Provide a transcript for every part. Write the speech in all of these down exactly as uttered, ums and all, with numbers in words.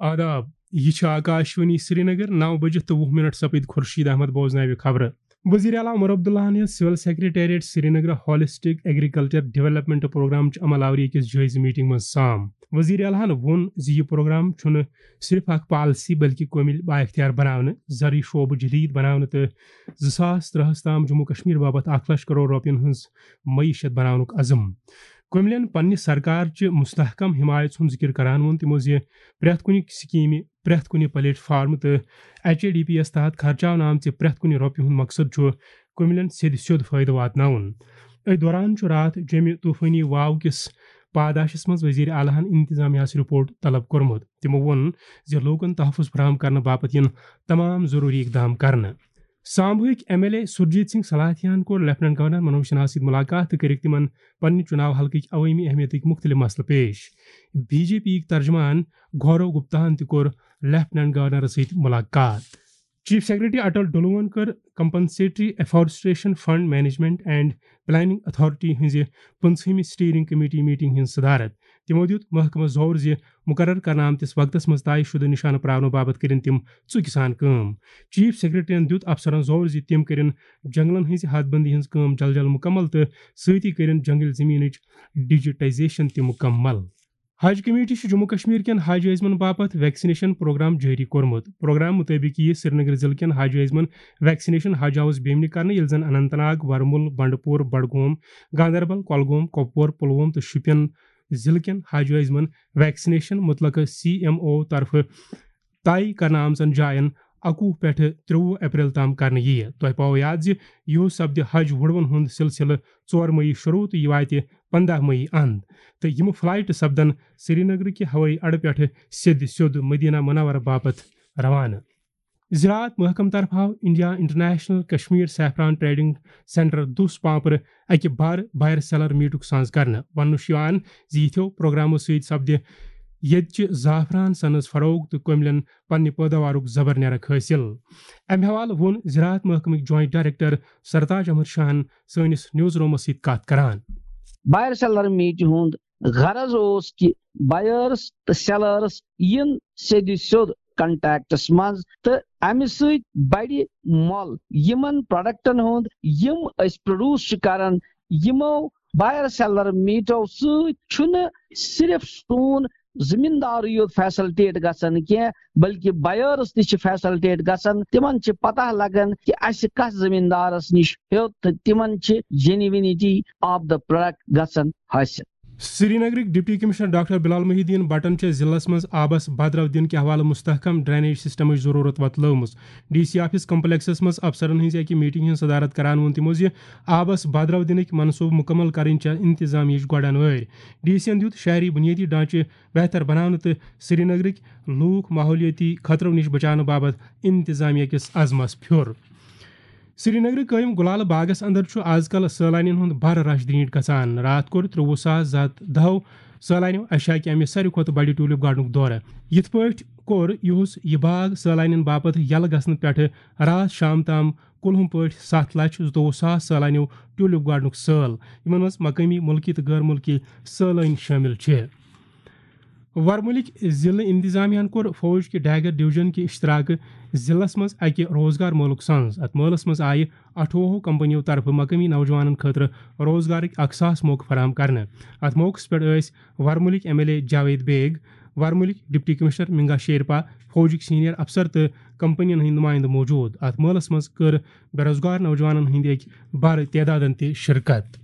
آداب، یہِ چھِ آکاشوانی سرینگر، نو بجہِ تہٕ وُہ منٹ سپٕدۍ۔ خورشید احمد بوزناوِ خبرٕ۔ وزیر اعلیٰ عمر عبداللہن ہیٚژ civil secretariat Srinagar holistic agriculture development programme چہِ عمل آوری أکِس جٲیزٕ میٹنگ منٛز سام۔ وزیر اعلیٰ ہن ووٚن زِ یہِ پروگرام چھُنہٕ صرف اکھ پالیسی بلکہِ کٲمِل بااختیار بناونہٕ، زرعی شعبہٕ جدید بناونہٕ تہٕ زٕ ساس ترٛہس تام جموں کشمیر باپتھ اکھ لچھ کرور رۄپین ہٕنٛز معیشت بناونُک عزم۔ کُملین پننہِ سرکار چہِ مستحکم حمایت ہُنٛد ذکر کران ووٚن تِمو زِ پرٛٮ۪تھ کُنہِ سکیمہِ، پرٛٮ۪تھ کُنہِ پلیٹ فارم تہٕ ایچ اے ڈی پی یَس تحت خرچاونہٕ آمژِ پرٛٮ۪تھ کُنہِ رۄپیہِ ہُنٛد مقصد چھُ کُملین سیٚدِ سیوٚد فٲیدٕ واتناوُن۔ أتھۍ دوران چھُ راتھ جیٚمہِ طوفٲنی واو کِس پاداشس منٛز وزیر اعلیٰ ہن انتظامیہ ہَس رپورٹ طلب کوٚرمُت۔ تِمو ووٚن زِ لوٗکن تحفظ فراہم کرنہٕ باپتھ یِن تمام ضروٗری اقدام کرنہٕ۔ سامبوہٕکۍ ایم ایل اے سُرجیت سنگھ سلاتھیاہن کوٚر لیفٹیننٹ گورنر منوج سنہاہس سۭتۍ ملاقات تہٕ کٔرِکھ تِمن پننہِ چُناو حلقٕکۍ عوٲمی اہمیتٕکۍ مُختٔلِف مسلہٕ پیش۔ بی جے پی یِکۍ ترجمان گورو گپتاہن تہِ کوٚر لیفٹیننٹ گورنرس سۭتۍ ملاقات۔ چیف سیکرٹری اٹل ڈلوہن کٔر compensatory afforestation fund management and planning authority ہٕنٛزِ پٕنٛژہمہِ اسٹیئرنگ کمیٹی میٹنگ ہٕنٛز صدارت۔ تِمو دِیُت محکمس زور زِ مقرر کرنہٕ آمتِس وقتس منٛز طے شدٕ نشانہٕ پراونہٕ باپتھ کٔرِن تِم ژُکہِ سان کٲم۔ چیف سیکرٹریَن دِیُت افسرن زور زِ تِم کٔرِن جنگلن ہٕنٛزِ حد بندی ہٕنٛز کٲم جل جل مکمل تہٕ سۭتی کٔرِن جنگل زمینٕچ ڈیجیٹائزیشن تہِ مکمل۔ حج کمیٹی چھِ جموں کشمیر کٮ۪ن حج عٲزمن باپتھ ویکسینیشن پروگرام جٲری کوٚرمُت۔ پروگرام مُطٲبِق یِیہِ سرینگر ضلعہٕ کٮ۪ن حج عٲزمن ویکسینیشن حج آؤس بیمنہِ کرنہٕ، ییٚلہِ زن اننت ناگ، ورمُل، بنڈٕ پور، بڈگوم، گاندربل، کۄلگوم، کۄپوور، پُلووم تہٕ شُپین ضلعہٕ کٮ۪ن حج عٲزمن ویکسینیشن متعلقہٕ سی ایم او طرفہٕ طے کرنہٕ آمژن جاین اَکوُہ پٮ۪ٹھٕ ترٛوُہ اپریل تام کرنہٕ یِیہِ۔ تۄہہِ پاوو یاد زِ یِہُس سپدِ حج وُڑوَن ہُنٛد سلسلہٕ ژور مئی شروع تہٕ یہِ واتہِ پنٛداہ مئی اند، تہٕ یِم فلائٹ سپدن سرینگرٕ کہِ ہوٲیی اڈٕ پٮ۪ٹھٕ سیٚدِ سیوٚد مدینہ منورہ باپتھ روانہٕ۔ زراعت محکمہٕ طرفہٕ آو India international Kashmir saffron trading centre دوس پامپرٕ اکہِ بار بائر سیلر میٹُک سانز کرنہٕ۔ وننہٕ چھُ یِوان زِ یِتھیو پروگرامو سۭتۍ سپدِ ییٚتہِ چہِ زعفران سنز فروغ تہٕ کٔملٮ۪ن پننہِ پٲداوارُک زبر نیرک حٲصِل۔ امہِ حوالہٕ ووٚن زراعت محکمٕکۍ جوائنٹ ڈائریکٹر سرتاج احمد شاہن سٲنِس نیوز رومس سۭتۍ کتھ کران۔ بائر سیلر میٹ ہُنٛد غرض اوس کہِ بائرز تہٕ سیلرز یِن سیٚدِ سیوٚد کنٹیکٹس منٛز تہٕ امہِ سۭتۍ بڑِ مۄل یِمن پروڈکٹن ہُنٛد یِم أسۍ پروڈیوس چھِ کران۔ یِمو بائر سیلر میٹو سۭتۍ چھُنہٕ صرف سون زمیٖندارٕے یوت فیسلٹیٹ گژھان کینٛہہ، بلکہِ بائرز تہِ چھِ فیسلٹیٹ گژھان۔ تِمن چھِ پتہ لگان کہِ اسہِ کتھ زمیٖندارس نِش ہیوٚت تہٕ تِمن چھِ جینوینٹی آف دا پروڈکٹ گژھان حٲصِل۔ سرینگرٕکۍ ڈپٹی کمشنر ڈاکٹر بلال محی الدین بٹن چھِ ضلعس منٛز آبس بدرو دِنہٕ کہِ حوالہٕ مستحکم ڈرینیج سسٹمٕچ ضروٗرت وۄتلٲومٕژ۔ ڈی سی آفس کمپلیکسس منٛز افسرن ہٕنٛزِ اکہِ میٹنگ ہٕنٛز صدارت کران ووٚن تِمو زِ آبس بدرو دِنٕکۍ منصوبہٕ مُکمل کرٕنۍ چھےٚ انتظامیہٕچ گۄڈن وٲرۍ۔ ڈی سی ین دیُت شہری بنیٲدی ڈھانچہٕ بہتر بناونہٕ تہٕ سرینگرٕکۍ لوٗکھ ماحولیٲتی خطرو نِش بچاونہٕ باپتھ انتظامیہ کِس عزمس پھیُر۔ سرینگرٕ قٲیِم گُلالہٕ باغس اندر چھُ از کل سٲلانین ہُنٛد بر رش درینٹ گژھان۔ راتھ کوٚر ترٛوُہ ساس زٕ ہتھ دَہو سٲلانیو ایشیا کہِ امہِ ساروی کھۄتہٕ بڑِ ٹیولپ گارڈنُک دورٕ۔ یِتھ پٲٹھۍ کوٚر یِہُس یہِ باغ سٲلانین باپتھ یلہٕ گژھنہٕ پٮ۪ٹھٕ راتھ شام تام کُلہُم پٲٹھۍ ستھ لچھ زٕتووُہ ساس سٲلانیو ٹیولپ گارڈنُک سٲل، یِمن منٛز مقٲمی، مُلکی تہٕ غٲر مُلکی سٲلٲنۍ شٲمِل چھِ۔ ورمُلٕکۍ ضلعہٕ انتظامیہ ہن کوٚر فوج کہِ ڈیگر ڈویژن کہِ اشتراکہٕ ضلعس منٛز اکہِ روزگار مٲلُک سنز۔ اتھ مٲلس منٛز آیہِ اَٹھووُہو کمپنیو طرفہٕ مقٲمی نوجوانن خٲطرٕ روزگارٕکۍ اکھ ساس موقعہٕ فراہم کرنہٕ۔ اتھ موقعس پٮ۪ٹھ ٲسۍ ورمُلٕکۍ M L A Javed Baig, ورمُلٕکۍ deputy commissioner Minga Sherpa, فوجٕکۍ senior افسر تہٕ کمپنین ہٕنٛدۍ نمائندٕ موجود۔ اتھ مٲلس منٛز کٔر بے روزگار نوجوانن ہٕنٛدۍ اکہِ بارٕ تعدادن تہِ شرکت۔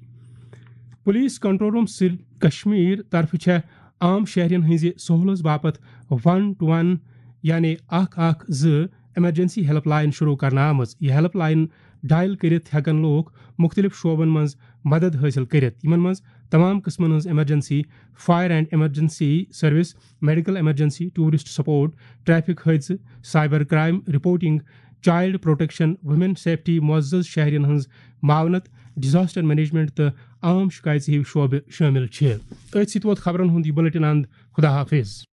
پولیس کنٹرول روم سری کشمیر طرفہٕ چھےٚ عام شہرین ہٕنٛزِ سہولژ باپتھ ون ٹو ون یعنی اکھ اکھ زٕ ایمرجنسی ہیلپ لائن شروع کرنہٕ آمٕژ۔ یہِ ہیلپ لائن ڈائل کٔرِتھ ہٮ۪کن لوٗکھ مُختٔلِف شعبن منٛز مدد حٲصِل کٔرِتھ، یِمن منٛز تمام قٕسمن ہٕنٛز emergency, fire and emergency service, medical emergency, tourist support, traffic حٲدثہٕ، cyber crime reporting, child protection, women safety, معزز شہرین ہٕنٛز معاونت، ڈیزاسٹر مینجمنٹ تہٕ عام شکایژٕ ہِوۍ شعبہٕ شٲمِل چھِ۔ أتھۍ سۭتۍ ووت خبرن ہُنٛد یہِ بلیٹن اند۔ خدا حافظ۔